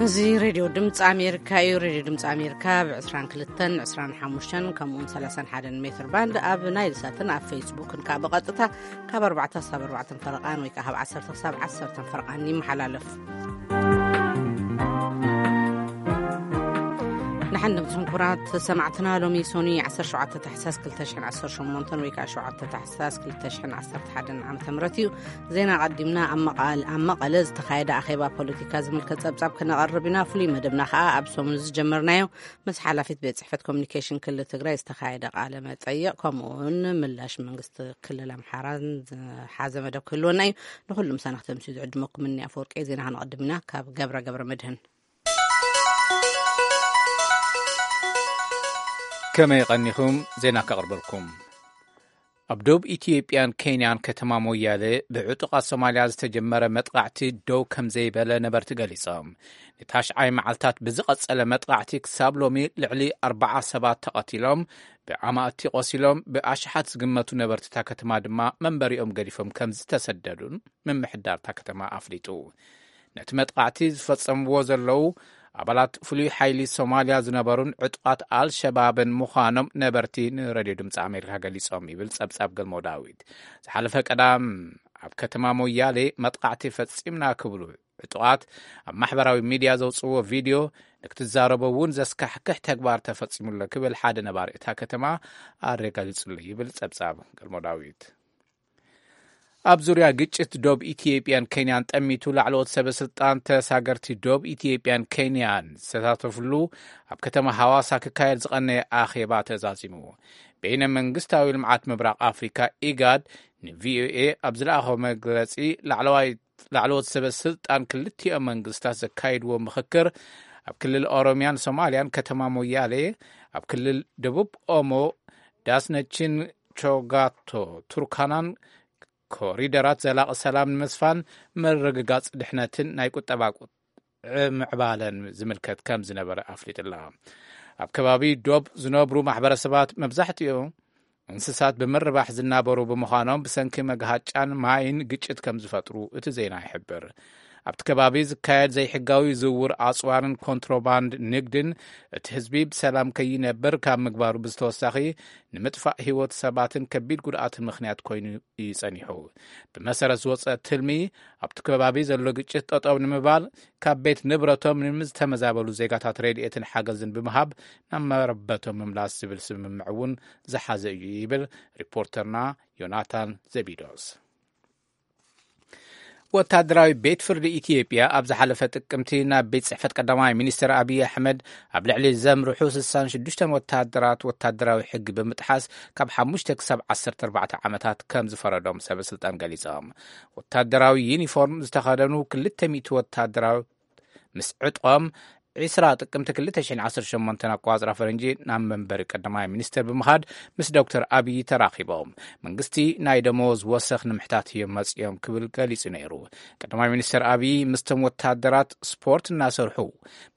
እዚ ሬድዮ ድምፂ ኣሜሪካ እዩ። ሬድዮ ድምፂ ኣሜሪካ ብ22፣ 25 ከምኡውን 31 ሜትር ባንድ ኣብ ናይል ሳትን ኣብ ፌስቡክን ከዓ ብቐጥታ ካብ 4 ክሳብ 4 ፈረቓን ወይ ከዓ ካብ 10 ክሳብ 10 ፈረቓን ይመሓላለፍ። ንሓንድምትኩም ክቡራት ሰማዕትና፣ ሎሚ ሶኒ 17 ታሕሳስ 2018 ወይ ከዓ 7 ታሕሳስ 2011 ዓመተ ምህረት እዩ። ዜና ቀዲምና ኣብ መቓል-፣ ኣብ መቐለ ዝተኻየደ ኣኼባ ፖለቲካ ዝምልከት ጸብጻብ ክነቐርብ ኢና። ፍሉይ መደብና ከኣ ኣብ ሰሙን ዝጀመርናዮ ምስ ሓላፊት ቤት ጽሕፈት ኮሚኒኬሽን ክልል ትግራይ ዝተኻየደ ቃለ መጠይቕ፣ ከምኡውን ምላሽ መንግስቲ ክልል ኣምሓራን ዝሓዘ መደብ ክህልወና እዩ። ንኹሉ ምሳና ክተምስዩ ዝዕድመኩም እኒ ኣፈወርቂ። ዜና ክነቐድም ኢና። ካብ ገብረ ገብረ መድህን። ከመይ ቀኒኹም? ዜና ከቕርበልኩም። ኣብ ደቡብ ኢትዮጵያን ኬንያን ከተማ ሞያሌ ብዕጡቓት ሶማልያ ዝተጀመረ መጥቃዕቲ ደው ከም ዘይበለ ነበርቲ ገሊጾም። ንታሽዓይ መዓልታት ብዝቐጸለ መጥቃዕቲ ክሳብ ሎሚ ልዕሊ ኣርባዓ ሰባት ተቐቲሎም፣ ብኣማእቲ ቆሲሎም፣ ብኣሽሓት ዝግመቱ ነበርቲ እታ ከተማ ድማ መንበሪኦም ገዲፎም ከም ዝተሰደዱን ምምሕዳር እታ ከተማ ኣፍሊጡ። ነቲ መጥቃዕቲ ዝፈጸምዎ ዘለዉ ኣባላት ፍሉይ ሓይሊ ሶማልያ ዝነበሩን ዕጡቓት ኣልሸባብን ምዃኖም ነበርቲ ንሬድዮ ድምፂ ኣሜሪካ ገሊጾም ይብል ጸብጻብ ገልሞ ዳዊት። ዝሓለፈ ቀዳም ኣብ ከተማ ሞያሌ መጥቃዕቲ ፈጺምና ክብሉ ዕጡቓት ኣብ ማሕበራዊ ሚድያ ዘውፅዎ ቪድዮ፣ ንክትዛረቦ እውን ዘስካሕክሕ ተግባር ተፈጺሙሎ ክብል ሓደ ነባሪ እታ ከተማ ኣረጋጊጹሉ ይብል ጸብጻብ ገልሞ ዳዊት። ኣብ ዙርያ ግጭት ዶብ ኢትዮጵያን ኬንያን ጠሚቱ ላዕለዎት ሰበ ስልጣን ተሳገርቲ ዶብ ኢትዮጵያን ኬንያን ዝተሳተፍሉ ኣብ ከተማ ሃዋሳ ክካየድ ዝቐነየ ኣኼባ ተዛዚሙ። በይነ መንግስታዊ ልምዓት ምብራቕ ኣፍሪካ ኢጋድ ንቪኦኤ ኣብ ዝለኣኾ መግለጺ ላዕለዋይ ላዕለዎት ሰበ ስልጣን ክልቲኦም መንግስታት ዘካይድዎ ምኽክር ኣብ ክልል ኦሮሚያን ሶማልያን ከተማ ሞያሌ፣ ኣብ ክልል ደቡብ ኦሞ ዳስነችን ቾጋቶ ቱርካናን ኮሪደራት ዘላቒ ሰላም ንምስፋን ምርግጋጽ ድሕነትን ናይ ቁጠባ ቁ-፣ ምዕባለን ዝምልከት ከም ዝነበረ ኣፍሊጥላ። ኣብ ከባቢ ዶብ ዝነብሩ ማሕበረሰባት መብዛሕትኡ እንስሳት ብምርባሕ ዝናበሩ ብምዃኖም ብሰንኪ መግሃጫን ማይን ግጭት ከም ዝፈጥሩ እቲ ዜና ይሕብር። ኣብቲ ከባቢ ዝካየድ ዘይሕጋዊ ዝውውር ኣጽዋርን ኮንትሮባንድ ንግድን እቲ ህዝቢ ብሰላም ከይነብር ካብ ምግባሩ ብዝተወሳኺ ንምጥፋእ ህይወት ሰባትን ከቢድ ጉድኣትን ምኽንያት ኮይኑ እዩ ጸኒሑ። ብመሰረት ዝወጸ ትልሚ ኣብቲ ከባቢ ዘሎ ግጭት ጠጠው ንምባል ካብ ቤት ንብረቶም ንዝተመዛበሉ ዜጋታት ረድኤትን ሓገዝን ብምሃብ ናብ መረበቶም ምምላስ ዝብል ስምምዕ እውን ዝሓዘ እዩ ይብል ሪፖርተርና ዮናታን ዘቢዶስ። ወታደራዊ ቤት ፍርዲ ኢትዮጵያ ኣብ ዝሓለፈ ጥቅምቲ ናብ ቤት ጽሕፈት ቀዳማይ ሚኒስትር ኣብይ ኣሕመድ ኣብ ልዕሊ ዘምርሑ 66 ወታደራት ወታደራዊ ሕጊ ብምጥሓስ ካብ 5 ክሳብ 14 ዓመታት ከም ዝፈረዶም ሰበ ስልጣን ገሊጾም። ወታደራዊ ዩኒፎርም ዝተኸደኑ 200 ወታደራዊ ምስ ዕጥቆም 20 ጥቅምቲ 2018 ኣቋጽራ ፈረንጂ ናብ መንበሪ ቀዳማይ ሚኒስትር ብምኻድ ምስ ዶክተር ኣብይ ተራኺቦም። መንግስቲ ናይ ደመወዝ ወሰኽ ንምሕታት እዮም መጺኦም ክብል ገሊጹ ነይሩ። ቀዳማይ ሚኒስትር ኣብይ ምስቶም ወታደራት ስፖርት እናሰርሑ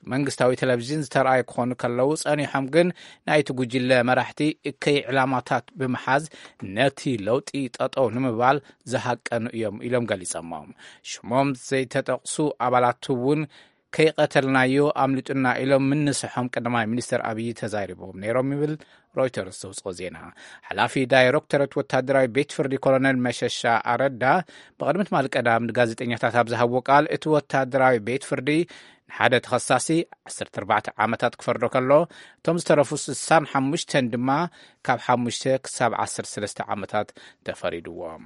ብመንግስታዊ ቴሌቪዥን ዝተረኣዩ ክኾኑ ከለዉ፣ ጸኒሖም ግን ናይቲ ጉጅለ መራሕቲ እከይ ዕላማታት ብምሓዝ ነቲ ለውጢ ጠጠው ንምባል ዝሃቀኑ እዮም ኢሎም ገሊጾሞም። ሽሞም ዘይተጠቕሱ ኣባላት እውን ከይቐተልናዮ ኣምሊጡና ኢሎም ምንስሖም ቀዳማይ ሚኒስትር ኣብይ ተዛሪቦም ነይሮም ይብል ሮይተርስ ዘውፅኦ ዜና። ሓላፊ ዳይሬክቶሬት ወታደራዊ ቤት ፍርዲ ኮሎኔል መሸሻ ኣረዳ ብቕድሚ ትማሊ ቀዳም ንጋዜጠኛታት ኣብ ዝሃብዎ ቃል፣ እቲ ወታደራዊ ቤት ፍርዲ ንሓደ ተኸሳሲ 14 ዓመታት ክፈርዶ ከሎ፣ እቶም ዝተረፉ 65 ድማ ካብ ሓሙሽተ ክሳብ 13 ዓመታት ተፈሪድዎም።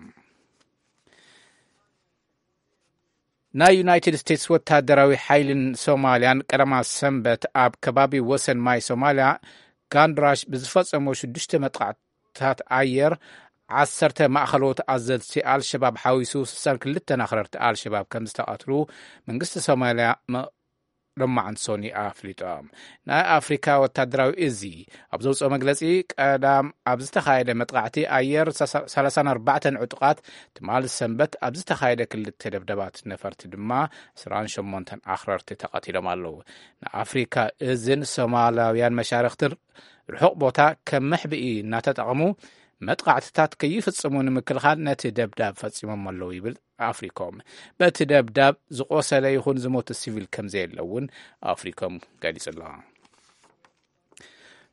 ናይ ዩናይትድ ስቴትስ ወታደራዊ ሓይልን ሶማልያን ቀዳማ ሰንበት ኣብ ከባቢ ወሰን ማይ ሶማልያ ጋንድራሽ ብዝፈጸሞ ሽዱሽተ መጥቃዕትታት ኣየር ዓሰርተ ማእኸሎት ኣዘዝቲ ኣልሸባብ ሓዊሱ 62 ኣኽረርቲ ኣልሸባብ ከም ዝተቐትሉ መንግስቲ ሶማልያ መ-፣ ሎማዓንቲ ሶኒ ኣፍሊጦም። ናይ ኣፍሪካ ወታደራዊ እዚ ኣብ ዘውፅኦ መግለፂ፣ ቀዳም ኣብ ዝተኻየደ መጥቃዕቲ ኣየር 34 ዕጡቓት ትማሊ ሰንበት ኣብ ዝተኻየደ ክልተ ደብደባት ነፈርቲ ድማ 28 ኣኽረርቲ ተቐቲሎም ኣለዉ። ንኣፍሪካ እዝን ሶማላውያን መሻርክትን ርሑቕ ቦታ ከም መሕብኢ እናተጠቐሙ መጥቓዕትታት ከይፍጽሙ ንምክልኻል ነቲ ደብዳብ ፈጺሞም ኣለዉ ይብል ኣፍሪኮም። በቲ ደብዳብ ዝቖሰለ ይኹን ዝሞተ ሲቪል ከም ዘየለ እውን ኣፍሪኮም ገሊጹ ኣሎ።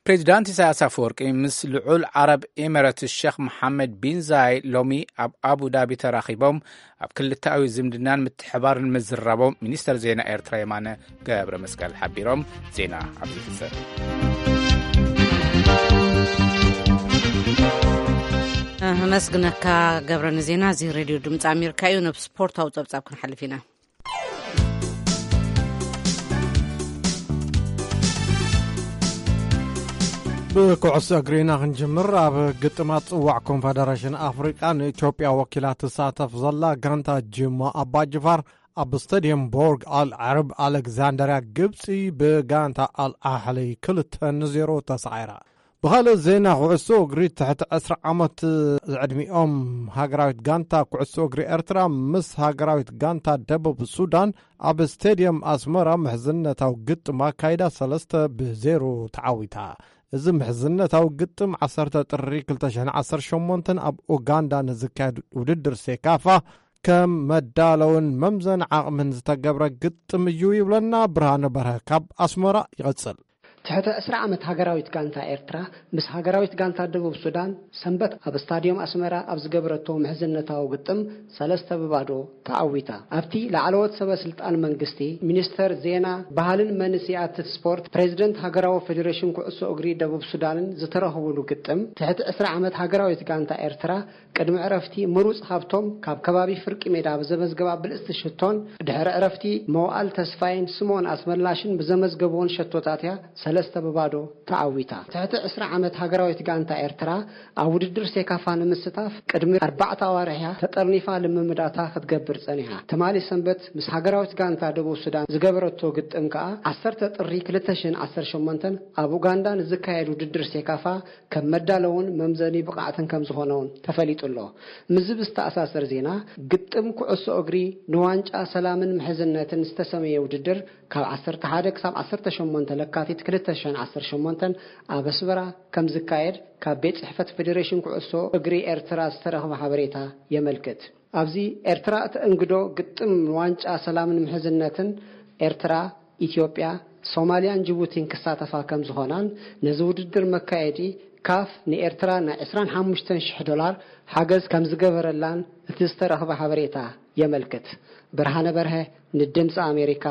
ፕሬዚዳንት ኢሳያስ ኣፈወርቂ ምስ ልዑል ዓረብ ኤሚሬትስ ሸኽ መሓመድ ቢን ዛይድ ሎሚ ኣብ ኣቡ ዳቢ ተራኺቦም ኣብ ክልተኣዊ ዝምድናን ምትሕባርን ምዝራቦም ሚኒስተር ዜና ኤርትራ የማነ ገብረ መስቀል ሓቢሮም። ዜና ኣብዚ ይሕሰር። ኣመስግነካ ገብረ ንዜና። እዚ ሬድዮ ድምፂ ኣሜሪካ እዩ። ናብ ስፖርታዊ ፀብፃብ ክንሓልፍ ኢና። ብኩዕሶ እግሪ ኢና ክንጅምር። ኣብ ግጥማት ጽዋዕ ኮንፈደሬሽን ኣፍሪቃ ንኢትዮጵያ ወኪላ ትሳተፍ ዘላ ጋንታ ጅማ ኣባጅፋር ኣብ ስታድየም ቦርግ ኣል ዓረብ ኣሌክዛንደርያ ግብጺ ብጋንታ ኣል ኣሕሊ ክልተ ንዜሮ ተሳዒራ። ብኻልእ ዜና፣ ኩዕሶ እግሪ ትሕቲ ዕስራ ዓመት ዝዕድሚኦም ሃገራዊት ጋንታ ኩዕሶ እግሪ ኤርትራ ምስ ሃገራዊት ጋንታ ደቡብ ሱዳን ኣብ ስቴድየም ኣስመራ ምሕዝነታዊ ግጥም ኣካይዳ ሰለስተ ብዜሮ ተዓዊታ። እዚ ምሕዝነታዊ ግጥም ዓሰርተ ጥሪ ክልተ ሽሕን ዓሰርተ ሸሞንተን ኣብ ኡጋንዳ ንዝካየድ ውድድር ሴካፋ ከም መዳለውን መምዘን ዓቕምን ዝተገብረ ግጥም እዩ ይብለና ብርሃነ በርሀ ካብ ኣስመራ። ይቐጽል። ትሕቲ ዕስራ ዓመት ሃገራዊት ጋንታ ኤርትራ ምስ ሃገራዊት ጋንታ ደቡብ ሱዳን ሰንበት ኣብ ስታድዮም ኣስመራ ኣብ ዝገበረቶ ምሕዝነታዊ ግጥም ሰለስተ ብባዶ ተዓዊታ። ኣብቲ ላዕለዎት ሰበ ስልጣን መንግስቲ፣ ሚኒስተር ዜና፣ ባህልን መንስያት ስፖርት፣ ፕሬዚደንት ሃገራዊ ፌዴሬሽን ኩዕሶ እግሪ ደቡብ ሱዳንን ዝተረኽቡሉ ግጥም፣ ትሕቲ ዕስራ ዓመት ሃገራዊት ጋንታ ኤርትራ ቅድሚ ዕረፍቲ ምሩጽ ሃብቶም ካብ ከባቢ ፍርቂ ሜዳ ብዘመዝገባ ብልጽቲ ሽቶን ድሕሪ ዕረፍቲ መዋእል ተስፋይን ስምኦን ኣስመላሽን ብዘመዝገብዎን ሸቶታት እያ ሰለስተ ብባዶ ተዓዊታ። ትሕቲ ዕስራ ዓመት ሃገራዊት ጋንታ ኤርትራ ኣብ ውድድር ሴካፋ ንምስታፍ ቅድሚ ኣርባዕተ ኣዋርሕ እያ ተጠርኒፋ ልምምዳታ ክትገብር ጸኒሓ። ትማሊ ሰንበት ምስ ሃገራዊት ጋንታ ደቡብ ሱዳን ዝገበረቶ ግጥም ከኣ ዓሰርተ ጥሪ ክልተ ሽሕን ዓሰርተ ሸሞንተን ኣብ ኡጋንዳ ንዝካየድ ውድድር ሴካፋ ከም መዳለውን መምዘኒ ብቕዓትን ከም ዝኾነ እውን ተፈሊጡ ኣሎ። ምስዚ ብዝተኣሳሰር ዜና፣ ግጥም ኩዕሶ እግሪ ንዋንጫ ሰላምን ምሕዝነትን ዝተሰመየ ውድድር ካብ ዓሰርተ ሓደ ክሳብ ዓሰርተ ሸሞንተ ለካቲት ክልተ ሽሕን ዓሰርተ ሸሞንተን ኣብ ኣስመራ ከም ዝካየድ ካብ ቤት ጽሕፈት ፌዴሬሽን ኩዕሶ እግሪ ኤርትራ ዝተረኽበ ሓበሬታ የመልክት። ኣብዚ ኤርትራ እተእንግዶ ግጥም ንዋንጫ ሰላምን ምሕዝነትን ኤርትራ፣ ኢትዮጵያ፣ ሶማልያን ጅቡቲን ክሳተፋ ከም ዝኾናን ነዚ ውድድር መካየዲ ካፍ ንኤርትራ ናይ ዕስራን ሓሙሽተን ሽሕ ዶላር ሓገዝ ከም ዝገበረላን እቲ ዝተረኽበ ሓበሬታ የመልክት። ብርሃነ በርሀ ንድምፂ ኣሜሪካ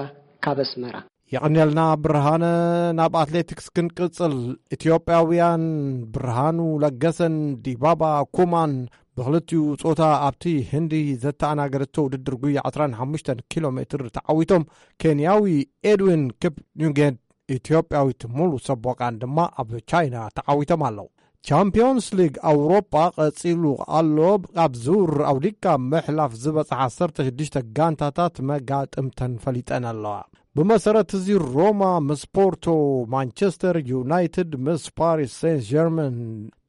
ካብ ኣስመራ። የቐንየልና ብርሃነ። ናብ ኣትሌቲክስ ክንቅጽል። ኢትዮጵያውያን ብርሃኑ ለገሰን ዲባባ ኩማን ብኽልቲኡ ጾታ ኣብቲ ህንዲ ዘተኣናገደቶ ውድድር ጉያ ዕስራን ሓሙሽተን ኪሎ ሜትር ተዓዊቶም፣ ኬንያዊ ኤድዊን ኪፕኑጌት ኢትዮጵያዊት ሙሉ ሰቦቃን ድማ ኣብ ቻይና ተዓዊቶም ኣለዉ። ቻምፒዮንስ ሊግ ኣውሮጳ ቀጺሉ ኣሎ። ኣብ ዙር ኣውዲካ ምሕላፍ ዝበጽሓ ዓሰርተ ሽዱሽተ ጋንታታት መጋጥምተን ፈሊጠን ኣለዋ። ብመሰረት እዚ ሮማ ምስ ፖርቶ፣ ማንቸስተር ዩናይትድ ምስ ፓሪስ ሴንት ጀርመን፣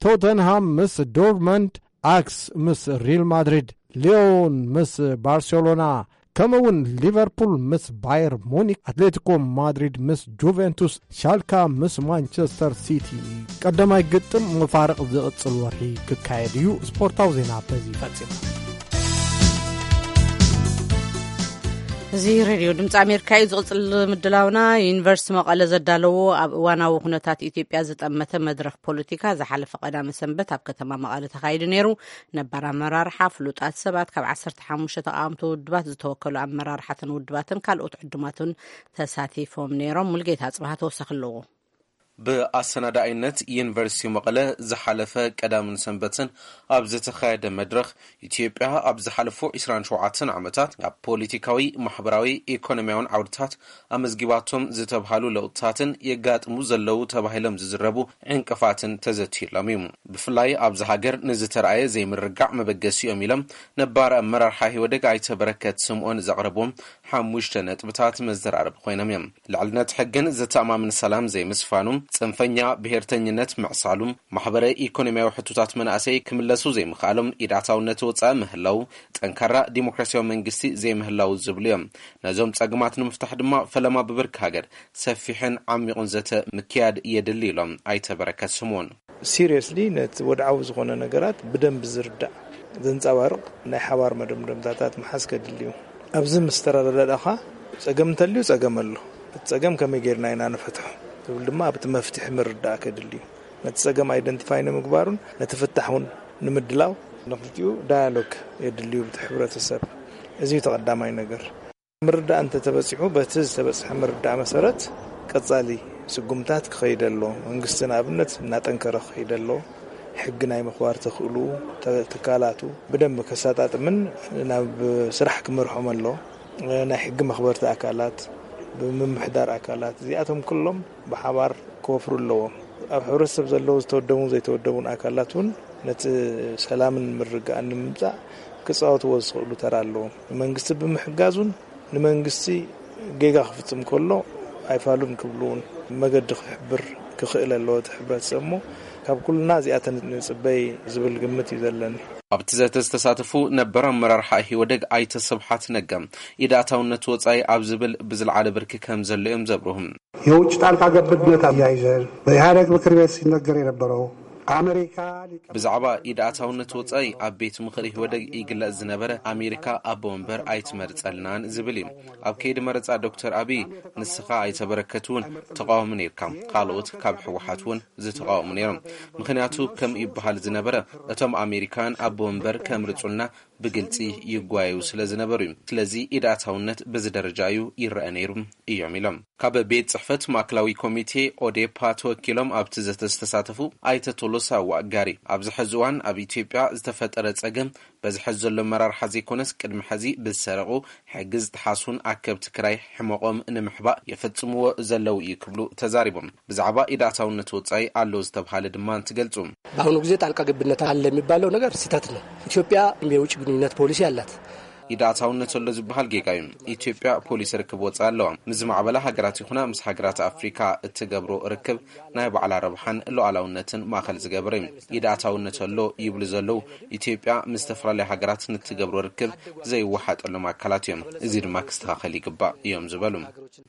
ቶተንሃም ምስ ዶርትመንድ፣ ኣክስ ምስ ሪል ማድሪድ፣ ሊዮን ምስ ባርሴሎና፣ ከምኡ እውን ሊቨርፑል ምስ ባየር ሙኒክ፣ ኣትሌቲኮ ማድሪድ ምስ ጁቬንቱስ፣ ሻልካ ምስ ማንቸስተር ሲቲ። ቀዳማይ ግጥም መፋርቕ ዝቕጽል ወርሒ ክካየድ እዩ። ስፖርታዊ ዜና በዚ ፈጺሙ። እዚ ሬድዮ ድምፂ ኣሜሪካ እዩ። ዝቕፅል ምድላውና፣ ዩኒቨርሲቲ መቐለ ዘዳለዎ ኣብ እዋናዊ ኩነታት ኢትዮጵያ ዝጠመተ መድረኽ ፖለቲካ ዝሓለፈ ቀዳመ ሰንበት ኣብ ከተማ መቐለ ተኻይዱ ነይሩ። ነባር ኣመራርሓ፣ ፍሉጣት ሰባት፣ ካብ ዓሰርተ ሓሙሽተ ተቓወምቲ ውድባት ዝተወከሉ ኣመራርሓትን ውድባትን ካልኦት ዕዱማትን ተሳቲፎም ነይሮም። ሙልጌታ ኣጽብሃ ተወሳኺ ኣለዎ። ብኣሰናዳኢነት ዩኒቨርሲቲ መቐለ ዝሓለፈ ቀዳምን ሰንበትን ኣብ ዝተኻየደ መድረኽ፣ ኢትዮጵያ ኣብ ዝሓለፉ ዕስራን ሸውዓተን ዓመታት ኣብ ፖለቲካዊ፣ ማሕበራዊ፣ ኢኮኖሚያውን ዓውድታት ኣመዝጊባቶም ዝተብሃሉ ለውጥታትን የጋጥሙ ዘለዉ ተባሂሎም ዝዝረቡ ዕንቅፋትን ተዘትዩሎም እዩ። ብፍላይ ኣብዚ ሃገር ንዝተረኣየ ዘይምርግጋዕ መበገሲኦም ኢሎም ነባር ኣመራርሓ ኢህወዴግ ኣይተ በረከት ስምኦን ዘቕረብዎም ሓሙሽተ ነጥብታት መዘራረቢ ኮይኖም እዮም። ልዕልነት ሕግን ዘተኣማምን ሰላም ዘይምስፋኑ፣ ጽንፈኛ ብሄርተኝነት ምዕሳሉ፣ ማሕበረ ኢኮኖሚያዊ ሕቶታት መናእሰይ ክምለሱ ዘይምኽኣሎም፣ ኢድ ኣታውነት ወጻኢ ምህላው፣ ጠንካራ ዲሞክራሲያዊ መንግስቲ ዘይምህላው ዝብሉ እዮም። ነዞም ጸገማት ንምፍታሕ ድማ ፈለማ ብብርኪ ሃገር ሰፊሕን ዓሚቑን ዘተ ምክያድ የድሊ ኢሎም ኣይተ በረከት ስምኦን። ሲሪየስሊ ነቲ ወድዓዊ ዝኾነ ነገራት ብደንብ ዝርዳእ ዘንጸባርቕ ናይ ሓባር መደምደምታታት ምሓዝ ከድሊ እዩ። ኣብዚ ምስ ተረዳዳእኻ ጸገም እንተልዩ ጸገም ኣሎ። እቲ ጸገም ከመይ ጌርና ኢና ንፈትሖ ትብል ድማ ኣብቲ መፍትሒ ምርዳእ ከድሊ እዩ። ነቲ ጸገም ኣይደንቲፋይ ንምግባሩን ነቲ ፍታሕ እውን ንምድላው ንክልቲኡ ዳያሎግ የድልዩ ብቲ ሕብረተሰብ። እዚ እዩ ተቐዳማይ ነገር። ምርዳእ እንተተበጺሑ በቲ ዝተበጽሐ ምርዳእ መሰረት ቀጻሊ ስጉምታት ክኸይድ ኣሎ። መንግስቲ ንኣብነት እናጠንከረ ክኸይድ ኣሎ። ሕጊ ናይ ምኽባር ተኽእሉ ትካላቱ ብደንብ ከሳጣጥምን ናብ ስራሕ ክመርሖም ኣሎ። ናይ ሕጊ መኽበርቲ ኣካላት ብምምሕዳር ኣካላት እዚኣቶም ኩሎም ብሓባር ክወፍሩ ኣለዎም። ኣብ ሕብረተሰብ ዘለዉ ዝተወደቡን ዘይተወደቡን ኣካላት እውን ነቲ ሰላምን ምርግጋእን ንምምጻእ ክጻወትዎ ዝኽእሉ ተራ ኣለዎም። ንመንግስቲ ብምሕጋዙን ንመንግስቲ ጌጋ ክፍጽም ከሎ ኣይፋሉን ክብሉ እውን መገዲ ክሕብር ክኽእል ኣለዎ እቲ ሕብረተሰብ። እሞ ካብ ኩልና እዚኣተን ንጽበይ ዝብል ግምት እዩ ዘለኒ። ኣብቲ ዘተ ዝተሳተፉ ነበር ኣመራርሓ ኢህወደግ ኣይተ ስብሓት ነጋ፣ ኢድ ኣታውነት ወጻኢ ኣብ ዝብል ብዝለዓለ ብርኪ ከም ዘሎ እዮም ዘብርሁ። የውጭ ጣልቃ ገብነት ኣያይዘን በኢህኣደግ ምክር ቤት ሲነገር የነበረው ኣሜሪካ ብዛዕባ ኢድ ኣታውነት ወጻኢ ኣብ ቤት ምኽሪ ኢህወደግ ይግለጽ ዝነበረ ኣሜሪካ ኣቦ ወንበር ኣይትመርጸልናን ዝብል እዩ። ኣብ ከይዲ መረጻ ዶክተር ኣብይ ንስኻ ኣይተ በረከት እውን ተቓዋሚ ነይርካ፣ ካልኦት ካብ ህወሓት እውን ዝተቓወሙ ነይሮም። ምኽንያቱ ከም ይበሃል ዝነበረ እቶም ኣሜሪካውያን ኣቦ ወንበር ከምርጹልና ብግልጺ ይጓየዩ ስለ ዝነበሩ እዩ። ስለዚ ኢድ ኣታውነት በዚ ደረጃ እዩ ይረአ ነይሩ እዮም ኢሎም። ካብ ቤት ጽሕፈት ማእከላዊ ኮሚቴ ኦዴፓ ተወኪሎም ኣብቲ ዘተ ዝተሳተፉ ኣይተ ቶሎሳ ዋጋሪ ኣብዚ ሕዚ እዋን ኣብ ኢትዮጵያ ዝተፈጠረ ጸገም በዚ ሕዚ ዘሎ ኣመራርሓ ዘይኮነስ ቅድሚ ሕዚ ብዝሰረቑ ሕጊ ዝጠሓሱን ኣከብቲ ክራይ ሕመቖም ንምሕባእ የፈጽምዎ ዘለዉ እዩ ክብሉ ተዛሪቦም። ብዛዕባ ኢድ ኣታውነት ወጻኢ ኣሎ ዝተብሃለ ድማ እንትገልጹ። በአሁኑ ጊዜ ጣልቃ ገብነት አለ የሚባለው ነገር ስህተት ነው። ኢትዮጵያ የውጭ ግንኙነት ፖሊሲ አላት። ኢድ ኣታውነት ኣሎ ዝበሃል ጌጋ እዩ። ኢትዮጵያ ፖሊሲ ርክብ ወጻኢ ኣለዋ። ምስ ዝማዕበላ ሃገራት ይኹና ምስ ሃገራት ኣፍሪካ እትገብሮ ርክብ ናይ ባዕላ ረብሓን ሉዓላውነትን ማእኸል ዝገበረ እዩ። ኢድ ኣታውነት ኣሎ ይብሉ ዘለዉ ኢትዮጵያ ምስ ዝተፈላለዩ ሃገራት ንትገብሮ ርክብ ዘይወሓጠሎም ኣካላት እዮም። እዚ ድማ ክስተኻኸል ይግባእ እዮም ዝበሉ።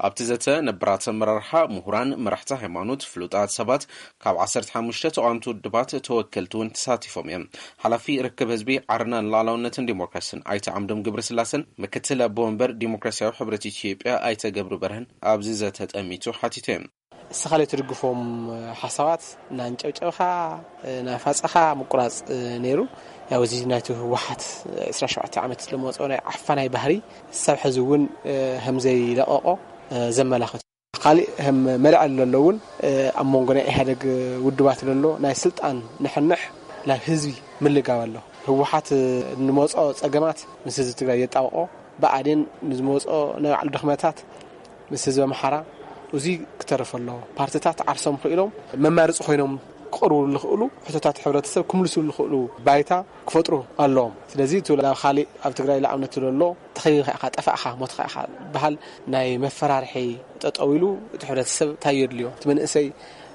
ኣብቲ ዘተ ነባራት ኣመራርሓ፣ ምሁራን፣ መራሕቲ ሃይማኖት፣ ፍሉጣት ሰባት፣ ካብ ዓሰርተ ሓሙሽተ ተቓወምቲ ውድባት ተወከልቲ እውን ተሳቲፎም እዮም። ሓላፊ ርክብ ህዝቢ ዓረና ንሉዓላውነትን ዲሞክራስን ኣይተ ዓምዶም ገብረስላሰን ምክትል ኣቦ ወንበር ዲሞክራሲያዊ ሕብረት ኢትዮጵያ ኣይተ ገብሩ በርሀን ኣብዚ ዘተ ጠሚቱ ሓቲቶም እዮም። እስኻ ዘይትድግፎም ሓሳባት እናንጨብጨብኻ እናፋፀኻ ምቁራፅ ነይሩ። ያው እዚ ናይቲ ህወሓት ዕስራን ሸውዓተን ዓመት ዝለመፆ ናይ ዓፋናይ ባህሪ ሳብ ሕዚ እውን ከምዘይለቐቖ ዘመላኽት እዩ። ካሊእ ከም መልዕል ዘሎ እውን ኣብ መንጎ ናይ ኢህኣደግ ውድባት ዘሎ ናይ ስልጣን ንሕንሕ ናብ ህዝቢ ምልጋብ ኣሎ። ህወሓት ንመፅኦ ፀገማት ምስ ህዝቢ ትግራይ የጣብቆ፣ ብኣዴን ንዝመፅኦ ናይ ባዕሉ ድኽመታት ምስ ህዝቢ ኣምሓራ፣ እዙይ ክተርፍ ኣለዎ። ፓርትታት ዓርሶም ክኢሎም መማርፂ ኮይኖም ክቐርቡ ዝኽእሉ ሕቶታት ሕብረተሰብ ክምልሱ ዝኽእሉ ባይታ ክፈጥሩ ኣለዎም። ስለዚ እቲ ናብ ካሊእ ኣብ ትግራይ ንኣብነት ዘሎ ተኸቢብካ ኢኻ፣ ጠፋእኻ፣ ሞትካ ኢኻ ዝበሃል ናይ መፈራርሒ ጠጠው ኢሉ እቲ ሕብረተሰብ እንታይ የድልዮ? እቲ መንእሰይ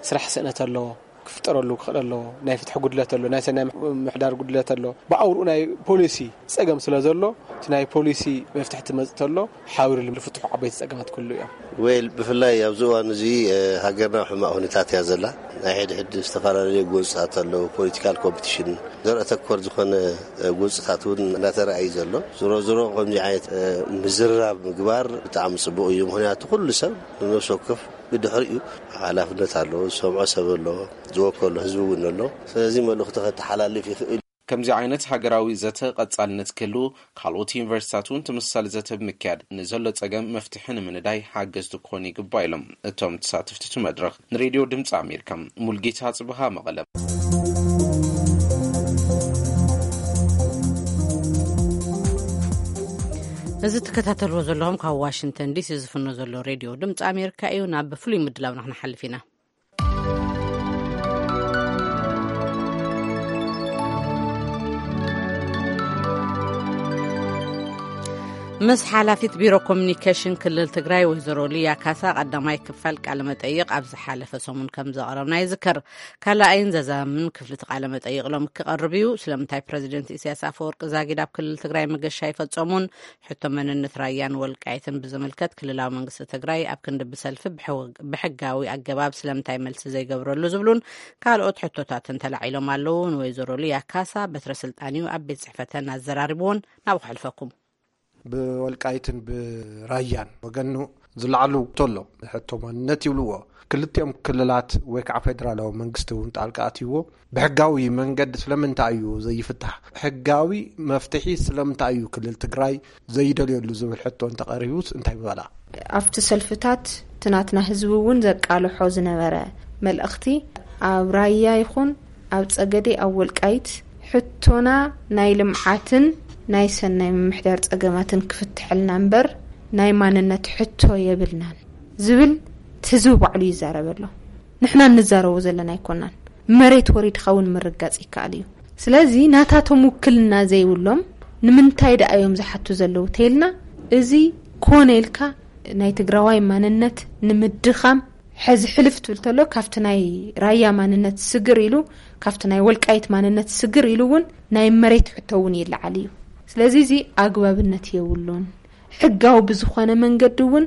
ስራሕ ስእነት ኣለዎ፣ ክፍጠረሉ ክኽእል ኣለዎ። ናይ ፍትሒ ጉድለት ኣሎ፣ ናይ ሰናይ ምሕዳር ጉድለት ኣሎ። ብኣውርኡ ናይ ፖሊሲ ፀገም ስለ ዘሎ እቲ ናይ ፖሊሲ መፍትሒ ትመፅእ ተሎ ሓቢሩ ዝፍትሑ ዓበይቲ ፀገማት ክህሉ እዮም። ዌል ብፍላይ ኣብዚ እዋን እዚ ሃገርና ኣብ ሕማቕ ሁኔታት እያ ዘላ። ናይ ሕድሕድ ዝተፈላለዩ ጎንፅታት ኣለዉ። ፖለቲካል ኮምፒቲሽን ዘርኢ ተኮር ዝኾነ ጎንፅታት እውን እናተረኣዩ ዘሎ። ዞሮ ዞሮ ከምዚ ዓይነት ምዝርራብ ምግባር ብጣዕሚ ፅቡቕ እዩ። ምክንያቱ ኩሉ ሰብ ንነብሲ ወከፍ ብድሕሪኡ ሓላፍነት ኣለዎ። ዝሰምዖ ሰብ ኣለዎ። ዝወከሎ ህዝቢ እውን ኣሎ። ስለዚ መልእኽቲ ከተሓላልፍ ይኽእል። ከምዚ ዓይነት ሃገራዊ ዘተ ቀጻልነት ክህልዎ ካልኦት ዩኒቨርሲታት እውን ተመሳሳሊ ዘተ ብምክያድ ንዘሎ ጸገም መፍትሒ ንምንዳይ ሓገዝቲ ክኾኑ ይግባእ ኢሎም እቶም ተሳተፍቲ እቲ መድረኽ ንሬድዮ ድምፂ ኣሜሪካ። ሙልጌታ ጽብሃ መቐለ። እዚ ትከታተልዎ ዘለኹም ካብ ዋሽንግተን ዲሲ ዝፍኖ ዘሎ ሬድዮ ድምፂ ኣሜሪካ እዩ። ናብ ፍሉይ ምድላውና ክንሓልፍ ኢና። ምስ ሓላፊት ቢሮ ኮሚኒኬሽን ክልል ትግራይ ወይዘሮ ሊያ ካሳ ቀዳማይ ክፋል ቃለ መጠይቕ ኣብ ዝሓለፈ ሰሙን ከም ዘቕረብና ይዝከር። ካልኣይን ዘዛምን ክፍሊ እቲ ቃለ መጠይቕ ሎሚ ክቐርብ እዩ። ስለምንታይ ፕረዚደንት ኢሳያስ ኣፈወርቂ ዛጊድ ኣብ ክልል ትግራይ መገሻ ኣይፈጸሙን? ሕቶ መንነት ራያን ወልቃይትን ብዝምልከት ክልላዊ መንግስቲ ትግራይ ኣብ ክንዲ ብሰልፊ ብሕው-፣ ብሕጋዊ ኣገባብ ስለምንታይ መልሲ ዘይገብረሉ ዝብሉን ካልኦት ሕቶታትን ተላዒሎም ኣለዉ። ንወይዘሮ ሊያ ካሳ በትረ ስልጣን እዩ ኣብ ቤት ጽሕፈተን ኣዘራሪብዎን። ናብ ክሕልፈኩም። ብወልቃይትን ብራያን ወገኑ ዝለዓሉ ተሎ ሕቶ ማንነት ይብልዎ። ክልቲኦም ክልላት ወይ ከዓ ፌደራላዊ መንግስቲ እውን ጣልቃ ኣትይዎ። ብሕጋዊ መንገዲ ስለምንታይ እዩ ዘይፍታሕ? ሕጋዊ መፍትሒ ስለምንታይ እዩ ክልል ትግራይ ዘይደልየሉ ዝብል ሕቶ እንተቐሪቡስ እንታይ ምበላ? ኣብቲ ሰልፍታት እቲ ናትና ህዝቢ እውን ዘቃልሖ ዝነበረ መልእኽቲ፣ ኣብ ራያ ይኹን ኣብ ጸገዴ፣ ኣብ ወልቃይት፣ ሕቶና ናይ ልምዓትን ናይ ሰናይ ምምሕዳር ጸገማትን ክፍትሐልና እምበር ናይ ማንነት ሕቶ የብልናን ዝብል እቲ ህዝቢ ባዕሉ ይዛረብ ኣሎ። ንሕና እንዛረቦ ዘለና ኣይኮናን። መሬት ወሪድካ እውን ምርጋጽ ይከኣል እዩ። ስለዚ ናታቶም ውክልና ዘይብሎም ንምንታይ ደኣ እዮም ዝሓቱ ዘለዉ ተይልና፣ እዚ ኮነ ኢልካ ናይ ትግራዋይ ማንነት ንምድኻም ሕዚ ሕልፍ ትብል ተሎ ካብቲ ናይ ራያ ማንነት ስግር ኢሉ፣ ካብቲ ናይ ወልቃይት ማንነት ስግር ኢሉ እውን ናይ መሬት ሕቶ እውን ይለዓል እዩ። ስለዚ እዚ ኣግባብነት የብሉን። ሕጋዊ ብዝኾነ መንገዲ እውን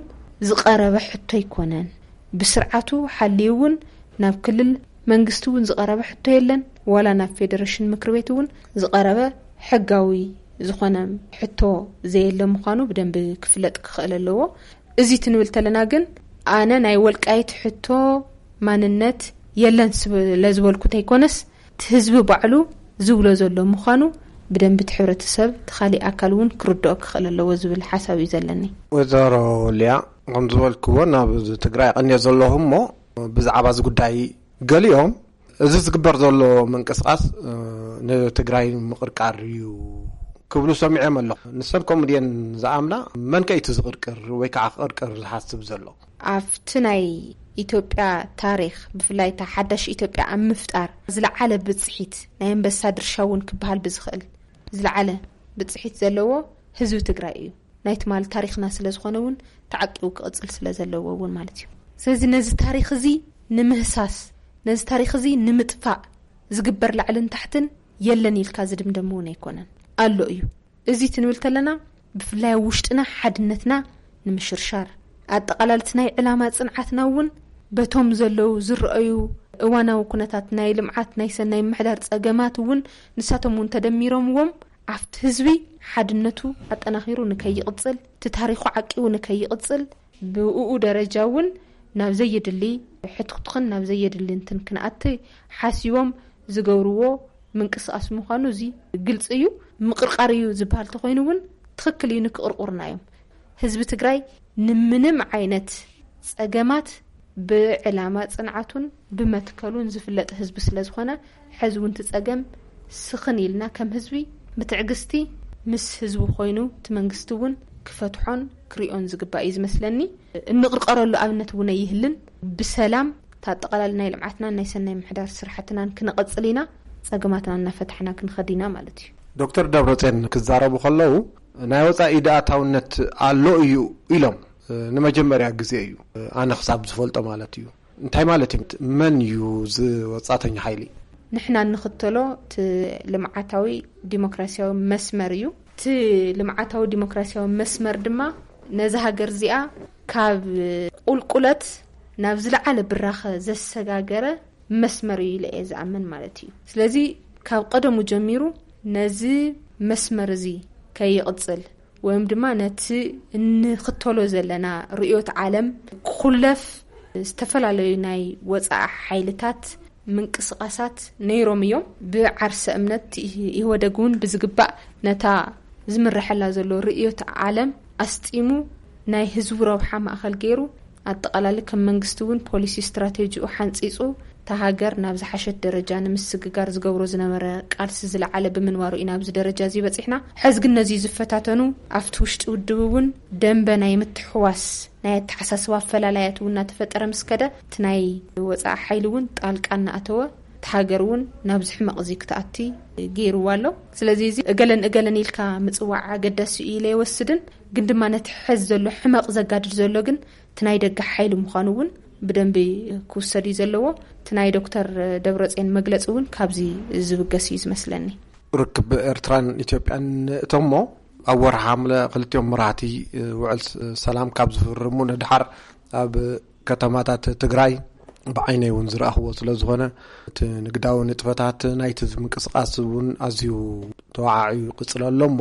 ዝቐረበ ሕቶ ኣይኮነን። ብስርዓቱ ሓልዩ እውን ናብ ክልል መንግስቲ እውን ዝቐረበ ሕቶ የለን፣ ዋላ ናብ ፌደሬሽን ምክር ቤት እውን ዝቐረበ ሕጋዊ ዝኾነ ሕቶ ዘየለ ምዃኑ ብደንቢ ክፍለጥ ክኽእል ኣለዎ። እዚ ትንብል ተለና ግን ኣነ ናይ ወልቃይት ሕቶ ማንነት የለን ስለ ዝበልኩ ተይኮነስ፣ እቲ ህዝቢ ባዕሉ ዝብሎ ዘሎ ምዃኑ ብደንቢ እቲ ሕብረተሰብ፣ እቲ ካሊእ ኣካል እውን ክርድኦ ክኽእል ኣለዎ ዝብል ሓሳብ እዩ ዘለኒ። ወይዘሮ ሊያ፣ ከም ዝበልክዎ ናብ ትግራይ ቀንየ ዘለኹ እሞ ብዛዕባ እዚ ጉዳይ ገሊኦም እዚ ዝግበር ዘሎ ምንቅስቃስ፣ እ፣ ንትግራይ ምቕርቃር እዩ ክብሉ ሰሚዐም ኣለኹ። ንሰን ከምኡ ድየን ዝኣምና? መን ከ እዩ እቲ ዝቕርቅር ወይ ከዓ ክቕርቅር ዝሓስብ ዘሎ? ኣብቲ ናይ ኢትዮጵያ ታሪኽ፣ ብፍላይ እታ ሓዳሽ ኢትዮጵያ ኣብ ምፍጣር ዝለዓለ ብጽሒት፣ ናይ ኣንበሳ ድርሻ እውን ክበሃል ብዝኽእል ዝለዓለ ብጽሒት ዘለዎ ህዝቢ ትግራይ እዩ። ናይ ትማሊ ታሪኽና ስለ ዝኾነ እውን ተዓቂቡ ክቕጽል ስለ ዘለዎ እውን ማለት እዩ። ስለዚ ነዚ ታሪኽ እዚ ንምህሳስ፣ ነዚ ታሪኽ እዚ ንምጥፋእ ዝግበር ላዕልን ታሕትን የለን ኢልካ ዝድምደም እውን ኣይኮነን፣ ኣሎ እዩ። እዚ ትንብል ተለና ብፍላይ ኣብ ውሽጥና ሓድነትና ንምሽርሻር፣ ኣጠቓላልቲ ናይ ዕላማ ጽንዓትና እውን በቶም ዘለዉ ዝረኣዩ እዋናዊ ኩነታት ናይ ልምዓት፣ ናይ ሰናይ ምሕዳር ጸገማት እውን ንሳቶም እውን ተደሚሮምዎም ኣብቲ ህዝቢ ሓድነቱ ኣጠናኺሩ ንከይቕጽል፣ እቲ ታሪኹ ዓቂቡ ንከይቕጽል፣ ብእኡ ደረጃ እውን ናብ ዘየድሊ ሕትኽትኽን ናብ ዘየድሊ እንትን ክንኣቲ ሓሲቦም ዝገብርዎ ምንቅስቃስ ምዃኑ እዚ ግልጺ እዩ። ምቕርቃር እዩ ዝበሃል ተኾይኑ እውን ትኽክል እዩ፣ ንክቕርቁርና እዮም። ህዝቢ ትግራይ ንምንም ዓይነት ጸገማት ብዕላማ ጽንዓቱን ብመትከሉን ዝፍለጥ ህዝቢ ስለ ዝኾነ፣ ሕዚ እውን እቲ ጸገም ስኽን ኢልና ከም ህዝቢ ብትዕግስቲ ምስ ህዝቢ ኮይኑ እቲ መንግስቲ እውን ክፈትሖን ክሪኦን ዝግባእ እዩ ዝመስለኒ። እንቕርቀረሉ ኣብነት እውን ኣይህልን። ብሰላም እቲ ኣጠቓላሊ ናይ ልምዓትናን ናይ ሰናይ ምሕዳር ስራሕትናን ክነቐጽል ኢና። ጸገማትና እናፈታሕና ክንኸድ ኢና ማለት እዩ። ዶክተር ደብረጽዮን ክዛረቡ ከለዉ ናይ ወጻኢ ኢድ ኣእታውነት ኣሎ እዩ ኢሎም። ንመጀመርያ ግዜ እዩ፣ ኣነ ክሳብ ዝፈልጦ ማለት እዩ። እንታይ ማለት እዩ? መን እዩ እዚ ወጻእተኛ ሓይሊ? ንሕና እንኽተሎ እቲ ልምዓታዊ ዲሞክራሲያዊ መስመር እዩ። እቲ ልምዓታዊ ዲሞክራሲያዊ መስመር ድማ ነዛ ሃገር እዚኣ ካብ ቁልቁለት ናብ ዝለዓለ ብራኸ ዘሰጋገረ መስመር እዩ ኢለ እየ ዝኣምን ማለት እዩ። ስለዚ ካብ ቀደሙ ጀሚሩ ነዚ መስመር እዚ ከይቕጽል ወይም ድማ ነቲ እንኽተሎ ዘለና ርእዮት ዓለም ክኹለፍ ዝተፈላለዩ ናይ ወጻኢ ሓይልታት ምንቅስቃሳት ነይሮም እዮም። ብዓርሰ እምነት ኢህወደግ እውን ብዝግባእ ነታ ዝምረሐላ ዘሎ ርእዮት ዓለም ኣስጢሙ ናይ ህዝቡ ረብሓ ማእኸል ገይሩ ኣጠቓላሊ ከም መንግስቲ እውን ፖሊሲ ስትራቴጂኡ ሓንፂፁ እታ ሃገር ናብ ዝሓሸት ደረጃ ንምስግጋር ዝገብሮ ዝነበረ ቃልሲ ዝለዓለ ብምንባሩ ኢና ኣብዚ ደረጃ እዚ በፂሕና። ሕዚ ግን ነዚ ዝፈታተኑ ኣብቲ ውሽጢ ውድብ እውን ደንበ ናይ ምትሕዋስ ናይ ኣተሓሳስባ ኣፈላላያት እውን እናተፈጠረ ምስ ከደ፣ እቲ ናይ ወፃኢ ሓይሊ እውን ጣልቃ እናኣተወ እቲ ሃገር እውን ናብዚ ሕመቕ እዚ ክትኣቲ ገይርዋ ኣሎ። ስለዚ እዚ እገለን እገለን ኢልካ ምጽዋዕ ኣገዳሲ እዩ ኢለ ይወስድን፣ ግን ድማ ነቲ ሕዚ ዘሎ ሕመቕ ዘጋድድ ዘሎ ግን እቲ ናይ ደገ ሓይሊ ምዃኑ እውን ብደንቢ ክውሰድ እዩ ዘለዎ። እቲ ናይ ዶክተር ደብረጽዮን መግለጺ እውን ካብዚ ዝብገስ እዩ ዝመስለኒ። ርክብ ኤርትራን ኢትዮጵያን እቶሞ ኣብ ወርሒ ሓምለ ክልቲኦም መራሕቲ ውዕል ሰላም ካብ ዝፍርሙ ንድሓር ኣብ ከተማታት ትግራይ ብዓይነይ እውን ዝረኣኽዎ ስለ ዝኾነ፣ እቲ ንግዳዊ ንጥፈታት ናይቲ ምንቅስቃስ እውን ኣዝዩ ተዋዓዕዩ ይቅጽል ኣሎ እሞ፣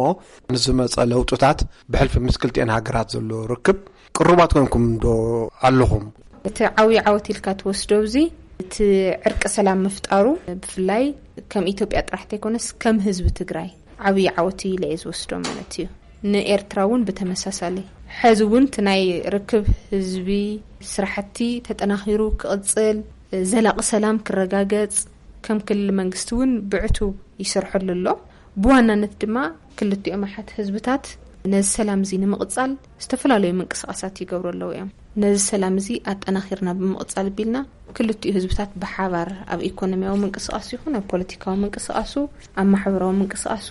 ንዝመጸ ለውጥታት ብሕልፊ ምስ ክልቲኤን ሃገራት ዘሎ ርክብ ቅሩባት ኮንኩም ዶ ኣለኹም? እቲ ዓብዪ ዓወት ኢልካ ትወስዶ፣ እዚ እቲ ዕርቂ ሰላም ምፍጣሩ ብፍላይ ከም ኢትዮጵያ ጥራሕ ተይኮነስ ከም ህዝቢ ትግራይ ዓብዪ ዓወት ኢለ እየ ዝወስዶ ማለት እዩ። ንኤርትራ እውን ብተመሳሳሊ፣ ሕዚ እውን እቲ ናይ ርክብ ህዝቢ ስራሕቲ ተጠናኺሩ ክቕጽል፣ ዘላቒ ሰላም ክረጋገጽ ከም ክልል መንግስቲ እውን ብዕቱብ ይሰርሐሉ ኣሎ። ብዋናነት ድማ ክልቲኦም ኣሓት ህዝብታት ነዚ ሰላም እዚ ንምቕጻል ዝተፈላለዩ ምንቅስቃሳት ይገብሩ ኣለዉ እዮም። ነዚ ሰላም እዚ ኣጠናኺርና ብምቕጻል ቢልና፣ ክልቲኡ ህዝብታት ብሓባር ኣብ ኢኮኖሚያዊ ምንቅስቃሱ ይኹን ኣብ ፖለቲካዊ ምንቅስቃሱ፣ ኣብ ማሕበራዊ ምንቅስቃሱ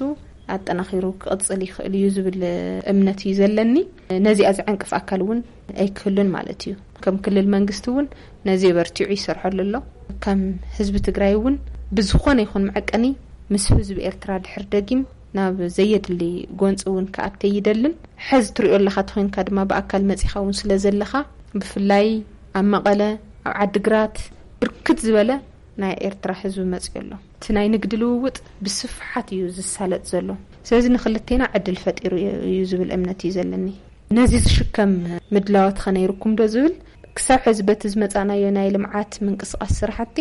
ኣጠናኺሩ ክቕጽል ይኽእል እዩ ዝብል እምነት እዩ ዘለኒ። ነዚኣ ዝዕንቅፍ ኣካል እውን ኣይክህሉን ማለት እዩ። ከም ክልል መንግስቲ እውን ነዚ በርቲዑ ይሰርሐሉ ኣሎ። ከም ህዝቢ ትግራይ እውን ብዝኾነ ይኹን መዐቀኒ ምስ ህዝቢ ኤርትራ ድሕር ደጊም ናብ ዘየድሊ ጎንፂ እውን ክኣት ኣይደልን። ሕዚ ትሪኦ ኣለኻ ተኾይንካ ድማ ብኣካል መፂኻ እውን ስለ ዘለኻ፣ ብፍላይ ኣብ መቐለ፣ ኣብ ዓድግራት ብርክት ዝበለ ናይ ኤርትራ ህዝቢ መፂኡ ኣሎ። እቲ ናይ ንግዲ ልውውጥ ብስፍሓት እዩ ዝሳለጥ ዘሎ። ስለዚ ንክልቴና ዕድል ፈጢሩ እዩ ዝብል እምነት እዩ ዘለኒ። ነዚ ዝሽከም ምድላዋት ኸ ነይርኩም ዶ ዝብል፣ ክሳብ ሕዚ በቲ ዝመጻናዮ ናይ ልምዓት ምንቅስቃስ ስራሕቲ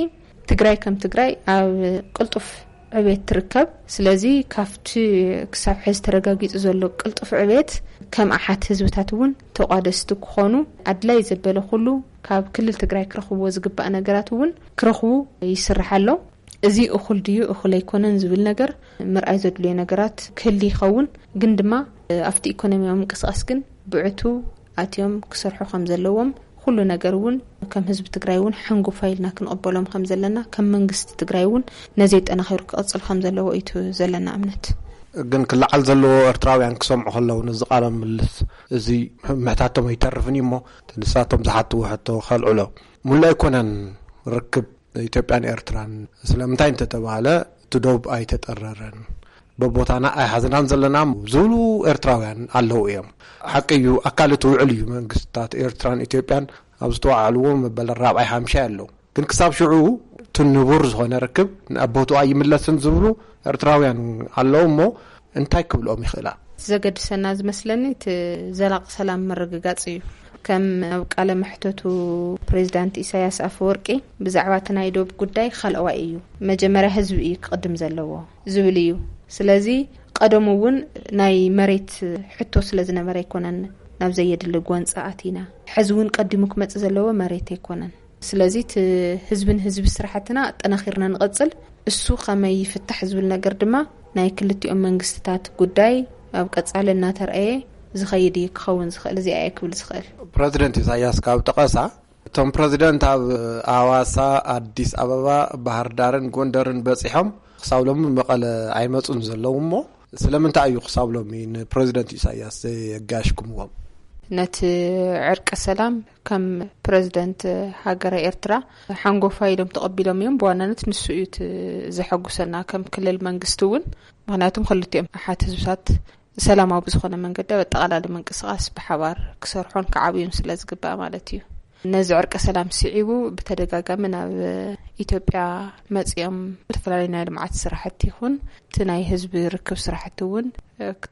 ትግራይ ከም ትግራይ ኣብ ቅልጡፍ ዕቤት ትርከብ። ስለዚ ካብቲ ክሳብ ሕዚ ተረጋጊጹ ዘሎ ቅልጡፍ ዕቤት ከም ኣሓት ህዝብታት እውን ተቋደስቲ ክኾኑ ኣድላይ ዘበለ ኩሉ ካብ ክልል ትግራይ ክረኽብዎ ዝግባእ ነገራት እውን ክረኽቡ ይስራሕ ኣሎ። እዚ እኹል ድዩ እኹል ኣይኮነን ዝብል ነገር ምርኣይ ዘድልዮ ነገራት ክህሊ ይኸውን። ግን ድማ ኣብቲ ኢኮኖሚያዊ ምንቅስቃስ ግን ብዕቱ ኣትዮም ክሰርሑ ከም ዘለዎም፣ ኩሉ ነገር እውን ከም ህዝቢ ትግራይ እውን ሓንጎፋ ኢልና ክንቕበሎም ከም ዘለና፣ ከም መንግስቲ ትግራይ እውን ነዚ ጠናኺሩ ክቕፅል ከም ዘለዎ እዩ እቲ ዘለና እምነት። ግን ክለዓል ዘለዎ ኤርትራውያን ክሰምዑ ከለዉ ነዚ ቃለ ምልልስ እዚ ምሕታቶም ኣይተርፍን እዩ እሞ፣ ንሳቶም ዝሓትዎ ሕቶ ከልዕሎ። ሙሉእ ኣይኮነን ርክብ ኢትዮጵያን ኤርትራን። ስለምንታይ እንተተባሃለ፣ እቲ ዶብ ኣይተጠረረን፣ በቦታና ኣይሓዝናን ዘለና ዝብሉ ኤርትራውያን ኣለዉ እዮም። ሓቂ እዩ፣ ኣካል እቲ ውዕል እዩ። መንግስታት ኤርትራን ኢትዮጵያን ኣብ ዝተዋዓልዎ መበል ራብዓይ ሓምሻይ ኣለዉ። ግን ክሳብ ሽዑ እቲ ንቡር ዝኾነ ርክብ ናብ ቦትኡ ኣይምለስን ዝብሉ ኤርትራውያን ኣለዉ እሞ፣ እንታይ ክብልኦም ይኽእላ? ዘገድሰና ዝመስለኒ እቲ ዘላቂ ሰላም ምርግጋጽ እዩ። ከም ኣብ ቃለ መሕተቱ ፕሬዚዳንት ኢሳያስ ኣፈወርቂ ብዛዕባ እቲ ናይ ዶብ ጉዳይ ካልኣዋይ እዩ፣ መጀመርያ ህዝቢ እዩ ክቕድም ዘለዎ ዝብል እዩ። ስለዚ ቀደሙ እውን ናይ መሬት ሕቶ ስለ ዝነበረ ኣይኮነን ናብ ዘየድሊ ጎንፂ ኣቲና። ሕዚ እውን ቀዲሙ ክመፅእ ዘለዎ መሬት ኣይኮነን። ስለዚ እቲ ህዝብን ህዝቢ ስራሕትና ኣጠናኺርና ንቐፅል። እሱ ከመይ ይፍታሕ ዝብል ነገር ድማ ናይ ክልቲኦም መንግስትታት ጉዳይ ኣብ ቀፃሊ እናተርኣየ ዝኸይድ እዩ ክኸውን ዝኽእል። እዚኣ እየ ክብል ዝኽእል። ፕረዚደንት ኢሳያስ ካብ ጠቐሳ፣ እቶም ፕረዚደንት ኣብ ኣዋሳ፣ ኣዲስ ኣበባ፣ ባህር ዳርን ጎንደርን በፂሖም ክሳብ ሎሚ መቐለ ኣይመፁን ዘለዉ እሞ፣ ስለምንታይ እዩ ክሳብ ሎሚ ንፕረዚደንት ኢሳያስ ዘየጋሽኩምዎም? ነቲ ዕርቀ ሰላም ከም ፕረዚደንት ሃገረ ኤርትራ ሓንጎፋ ኢሎም ተቐቢሎም እዮም። ብዋናነት ንሱ እዩ እቲ ዘሐጉሰና ከም ክልል መንግስቲ እውን። ምኽንያቱም ክልቲኦም ኣሓት ህዝብታት ሰላማዊ ብዝኾነ መንገዲ ኣብ ኣጠቓላሊ ምንቅስቃስ ብሓባር ክሰርሖን ክዓብዩን ስለ ዝግባእ ማለት እዩ። ነዚ ዕርቀ ሰላም ስዒቡ ብተደጋጋሚ ናብ ኢትዮጵያ መጺኦም ዝተፈላለዩ ናይ ልምዓት ስራሕቲ ይኹን እቲ ናይ ህዝቢ ርክብ ስራሕቲ እውን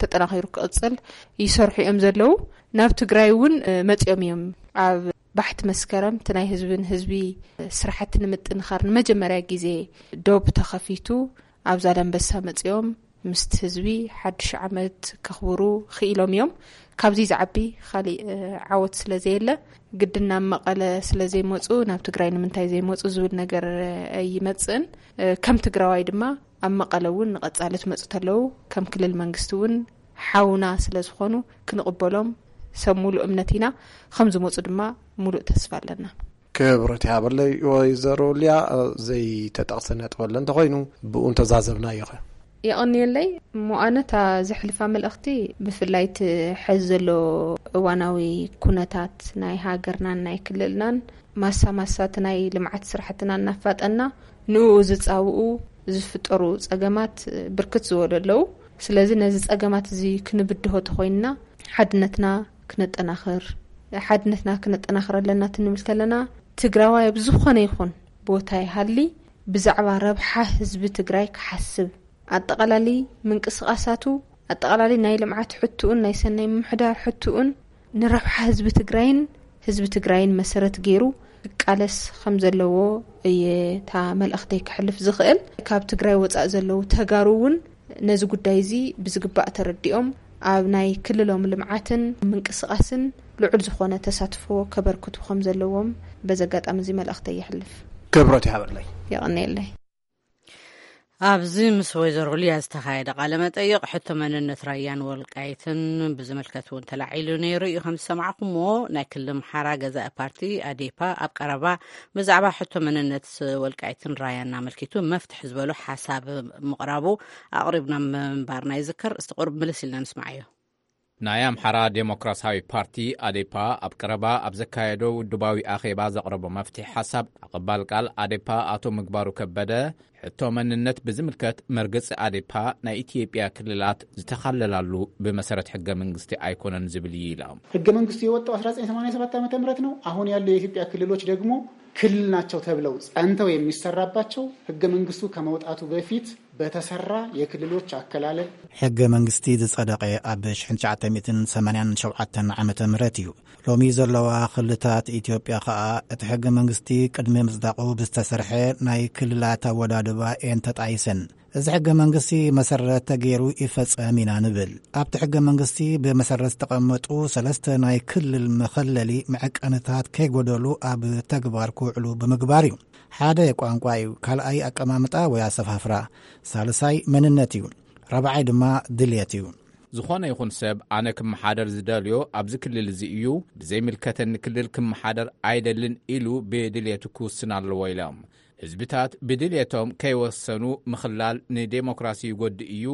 ተጠናኺሩ ክቕጽል ይሰርሑ እዮም ዘለዉ። ናብ ትግራይ እውን መጺኦም እዮም። ኣብ ባሕቲ መስከረም እቲ ናይ ህዝቢ ንህዝቢ ስራሕቲ ንምጥንኻር ንመጀመርያ ግዜ ዶብ ተኸፊቱ ኣብ ዛላንበሳ መጺኦም ምስቲ ህዝቢ ሓድሽ ዓመት ከኽብሩ ክኢሎም እዮም። ካብዚ ዝዓቢ ካሊእ ዓወት ስለ ዘየለ ግድን ናብ መቐለ ስለ ዘይመፁ ናብ ትግራይ ንምንታይ ዘይመፁ ዝብል ነገር ኣይመፅእን። ከም ትግራዋይ ድማ ኣብ መቐለ እውን ንቐፃሊ ትመፁ ተለዉ ከም ክልል መንግስቲ እውን ሓውና ስለ ዝኾኑ ክንቕበሎም ሰብ ሙሉእ እምነት ኢና። ከም ዝመፁ ድማ ሙሉእ ተስፋ ኣለና። ክብረት ይሃበለይ። ወይዘሮ ሊያ፣ ዘይተጠቕሰ ነጥቢ ኣሎ እንተኾይኑ ብኡ እንተዛዘብናዮ ኸ? የቐንየለይ። እሞ ኣነ እታ ዘሕልፋ መልእኽቲ፣ ብፍላይ እቲ ሕዚ ዘሎ እዋናዊ ኩነታት ናይ ሃገርናን ናይ ክልልናን፣ ማሳ ማሳ እቲ ናይ ልምዓት ስራሕትና እናፋጠና፣ ንኡ ዝጻውኡ ዝፍጠሩ ጸገማት ብርክት ዝበሉ ኣለዉ። ስለዚ ነዚ ጸገማት እዚ ክንብድሆ ተኾይንና፣ ሓድነትና ክነጠናኽር፣ ሓድነትና ክነጠናኽር ኣለና ትንብል ከለና፣ ትግራዋይ ኣብ ዝኾነ ይኹን ቦታ ይሃሊ፣ ብዛዕባ ረብሓ ህዝቢ ትግራይ ክሓስብ፣ ኣጠቓላሊ ምንቅስቓሳቱ፣ ኣጠቓላሊ ናይ ልምዓት ሕትኡን ናይ ሰናይ ምምሕዳር ሕትኡን ንረብሓ ህዝቢ ትግራይን ህዝቢ ትግራይን መሰረት ገይሩ ክቃለስ ከም ዘለዎ እየ እታ መልእኽተይ ክሕልፍ ዝኽእል። ካብ ትግራይ ወፃእ ዘለዉ ተጋሩ እውን ነዚ ጉዳይ እዚ ብዝግባእ ተረዲኦም፣ ኣብ ናይ ክልሎም ልምዓትን ምንቅስቓስን ልዑል ዝኾነ ተሳትፎ ከበርክቱ ከም ዘለዎም በዚ ኣጋጣሚ እዚ መልእኽተይ የሕልፍ። ክብረት ይሃበለይ። የቐንየለይ። ኣብዚ ምስ ወይዘሮ ሊያ ዝተኻየደ ቃለ መጠይቕ፣ ሕቶ መንነት ራያን ወልቃይትን ብዝምልከት እውን ተላዒሉ ነይሩ እዩ። ከም ዝሰማዕኩምዎ፣ ናይ ክልል ኣምሓራ ገዛኢ ፓርቲ ኣዴፓ ኣብ ቀረባ ብዛዕባ ሕቶ መንነት ወልቃይትን ራያን ኣመልኪቱ መፍትሒ ዝበሉ ሓሳብ ምቕራቡ ኣቕሪብና ምንባርና ይዝከር። እስቲ ቁሩብ ምልስ ኢልና ንስማዓዮ። ናይ ኣምሓራ ዴሞክራሲያዊ ፓርቲ ኣዴፓ ኣብ ቀረባ ኣብ ዘካየዶ ውድባዊ ኣኼባ ዘቕረቦ መፍትሒ ሓሳብ፣ ኣቐባል ቃል ኣዴፓ ኣቶ ምግባሩ ከበደ፣ ሕቶ መንነት ብዝምልከት፣ መርገጺ ኣዴፓ ናይ ኢትዮጵያ ክልላት ዝተኻለላሉ ብመሰረት ሕገ መንግስቲ ኣይኮነን ዝብል እዩ ኢሎም። ሕገ መንግስቱ የወጣው አስራ ዘጠኝ ሰማንያ ሰባት ዓመተ ምህረት ነው። አሁን ያሉ የኢትዮጵያ ክልሎች ደግሞ ክልል ናቸው ተብለው ጸንተው የሚሰራባቸው፣ ሕገ መንግስቱ ከመውጣቱ በፊት በተሰራ የክልሎች አከላለል። ሕገ መንግስቲ ዝጸደቐ ኣብ ሽሕን ትሽዓተ ሚእትን ሰማንያን ሸውዓተን ዓመተ ምህረት እዩ። ሎሚ ዘለዋ ክልታት ኢትዮጵያ ኸኣ፣ እቲ ሕገ መንግስቲ ቅድሚ ምጽዳቑ ብዝተሰርሐ ናይ ክልላት ኣወዳድባ እየን ተጣይሰን። እዚ ሕገ መንግስቲ መሰረት ተገይሩ ይፈጸም ኢና ንብል። ኣብቲ ሕገ መንግስቲ ብመሰረት ዝተቐመጡ ሰለስተ ናይ ክልል መኸለሊ መዐቀንታት ከይጎደሉ ኣብ ተግባር ክውዕሉ ብምግባር እዩ። ሓደ ቋንቋ እዩ፣ ካልኣይ ኣቀማምጣ ወይ ኣሰፋፍራ፣ ሳልሳይ መንነት እዩ፣ ራብዓይ ድማ ድልየት እዩ። ዝኾነ ይኹን ሰብ፣ ኣነ ክመሓደር ዝደልዮ ኣብዚ ክልል እዚ እዩ፣ ብዘይምልከተኒ ክልል ክመሓደር ኣይደልን ኢሉ ብድልየቱ ክውስን ኣለዎ ኢሎም። ህዝብታት ብድልየቶም ከይወሰኑ ምኽላል ንዴሞክራሲ ይጎድእ እዩ፣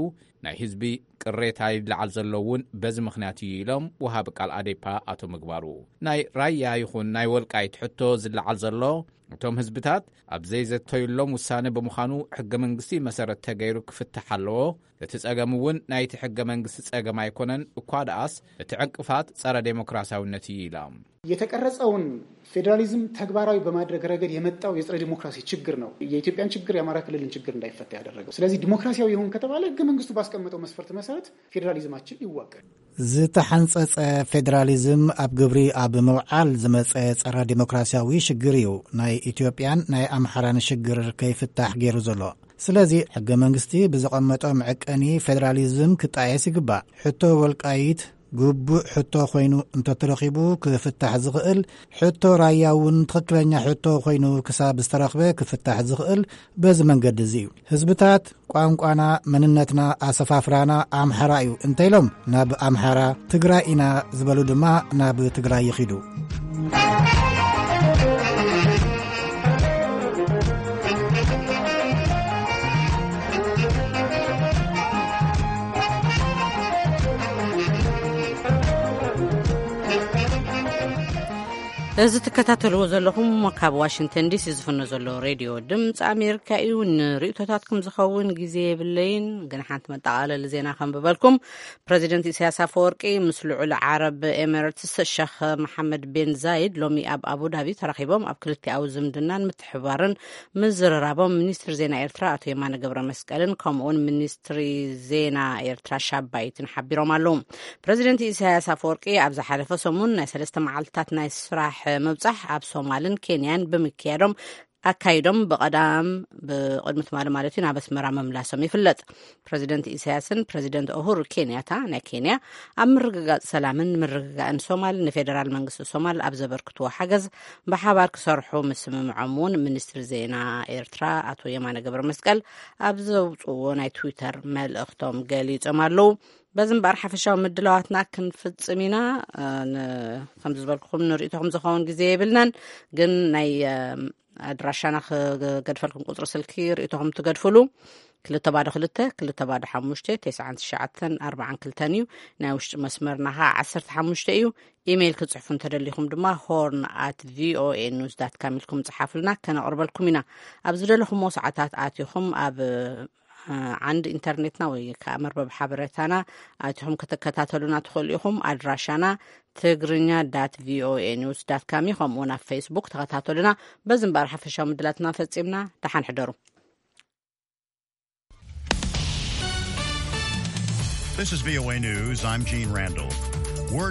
ናይ ህዝቢ ቅሬታ ይለዓል ዘሎ እውን በዚ ምኽንያት እዩ ኢሎም ወሃቢ ቃል ኣዴፓ ኣቶ ምግባሩ። ናይ ራያ ይኹን ናይ ወልቃይት ሕቶ ዝለዓል ዘሎ፣ እቶም ህዝብታት ኣብ ዘይዘተዩሎም ውሳነ ብምዃኑ፣ ሕገ መንግስቲ መሰረት ተገይሩ ክፍታሕ ኣለዎ። እቲ ጸገም እውን ናይቲ ሕገ መንግስቲ ጸገም ኣይኮነን፣ እኳ ደኣስ እቲ ዕንቅፋት ጸረ ዴሞክራሲያዊነት እዩ ኢሎም። የተቀረጸውን ፌዴራሊዝም ተግባራዊ በማድረግ ረገድ የመጣው የጸረ ዲሞክራሲ ችግር ነው የኢትዮጵያን ችግር፣ የአማራ ክልልን ችግር እንዳይፈታ ያደረገው። ስለዚህ ዲሞክራሲያዊ ይሁን ከተባለ፣ ሕገ መንግስቱ ባስቀመጠው መስፈርት መሰረት ፌዴራሊዝማችን ይዋቀር። ዝተሓንጸጸ ፌዴራሊዝም ኣብ ግብሪ ኣብ ምውዓል ዝመጸ ጸረ ዲሞክራሲያዊ ሽግር እዩ ናይ ኢትዮጵያን ናይ ኣምሓራን ሽግር ከይፍታሕ ገይሩ ዘሎ። ስለዚ ሕገ መንግስቲ ብዘቐመጦ መዐቀኒ ፌዴራሊዝም ክጣየስ ይግባእ። ሕቶ ወልቃይት ግቡእ ሕቶ ኮይኑ እንተተረኺቡ ክፍታሕ ዝኽእል፣ ሕቶ ራያ እውን ትኽክለኛ ሕቶ ኮይኑ ክሳብ ዝተረኽበ ክፍታሕ ዝኽእል በዚ መንገዲ እዚ እዩ። ህዝብታት ቋንቋና፣ መንነትና፣ ኣሰፋፍራና ኣምሓራ እዩ እንተኢሎም ናብ ኣምሓራ፣ ትግራይ ኢና ዝበሉ ድማ ናብ ትግራይ ይኺዱ። እዚ ትከታተልዎ ዘለኹም ካብ ዋሽንግተን ዲሲ ዝፍኖ ዘሎ ሬድዮ ድምፂ ኣሜሪካ እዩ። ንርእቶታትኩም ዝኸውን ግዜ የብለይን፣ ግን ሓንቲ መጠቓለሊ ዜና ከንብበልኩም። ፕረዚደንት ኢሳያስ ኣፈወርቂ ምስ ልዑል ዓረብ ኤሚሬትስ ሸኽ መሓመድ ቤን ዛይድ ሎሚ ኣብ ኣቡዳቢ ተራኺቦም፣ ኣብ ክልቲኣዊ ዝምድናን ምትሕብባርን ምዝርራቦም ሚኒስትር ዜና ኤርትራ ኣቶ የማነ ገብረ መስቀልን ከምኡውን ሚኒስትሪ ዜና ኤርትራ ሻባይትን ሓቢሮም ኣለዉ። ፕረዚደንት ኢሳያስ ኣፈወርቂ ኣብ ዝሓለፈ ሰሙን ናይ ሰለስተ መዓልትታት ናይ ስራሕ ምብጻሕ ኣብ ሶማልን ኬንያን ብምክያዶም፣ ኣካይዶም ብቐዳም ብቕድሚ ትማሊ ማለት እዩ ናብ ኣስመራ ምምላሶም ይፍለጥ። ፕረዚደንት ኢሳያስን ፕረዚደንት ኡሁሩ ኬንያታ ናይ ኬንያ ኣብ ምርግጋጽ ሰላምን ምርግጋእን ሶማል ንፌደራል መንግስቲ ሶማል ኣብ ዘበርክትዎ ሓገዝ ብሓባር ክሰርሑ ምስምምዖም እውን ሚኒስትሪ ዜና ኤርትራ ኣቶ የማነ ገብረ መስቀል ኣብ ዘውፅዎ ናይ ትዊተር መልእኽቶም ገሊጾም ኣለዉ። በዚ እምበኣር ሓፈሻዊ ምድላዋትና ክንፍጽም ኢና። እ፣ ን-፣ ከም ዝበልኩኹም ንርእይቶኹም ዝኸውን ግዜ የብልናን፣ ግን ናይ፣ እ፣ ኣድራሻና ክገድፈልኩም ቁጽሪ ስልኪ ርእይቶኹም ትገድፍሉ። ክልተ ባዶ ክልተ፣ ክልተ ባዶ ሓሙሽተ፣ ተስዓን ትሽዓተን ኣርባዓን ክልተን እዩ። ናይ ውሽጢ መስመርና ኸዓ ዓሰርተ ሓሙሽተ እዩ። ኢሜይል ክጽሕፉ እንተደሊኹም ድማ ሆርን ኣት ቪኦኤ ኒውስ ዳት ካም ኢልኩም ጽሓፉልና፣ ከነቕርበልኩም ኢና። ኣብ ዝደለኹምዎ ሰዓታት ኣቲኹም ኣብ፣ እ፣ ዓንዲ ኢንተርኔትና ወይ ከዓ መርበብ ሓበሬታና ኣቲኹም ክትከታተሉና ትኽእሉ ኢኹም። ኣድራሻና ትግርኛ ዳት ቪኦኤ ኒውስ ዳት ካም እዩ። ከምኡ እውን ኣብ ፌስቡክ ተኸታተሉና። በዚ እምበኣር ሓፈሻዊ ምድላትና ፈጺምና። ደሓን ሕደሩ። This is V O A News. I'm Gene Randall. Word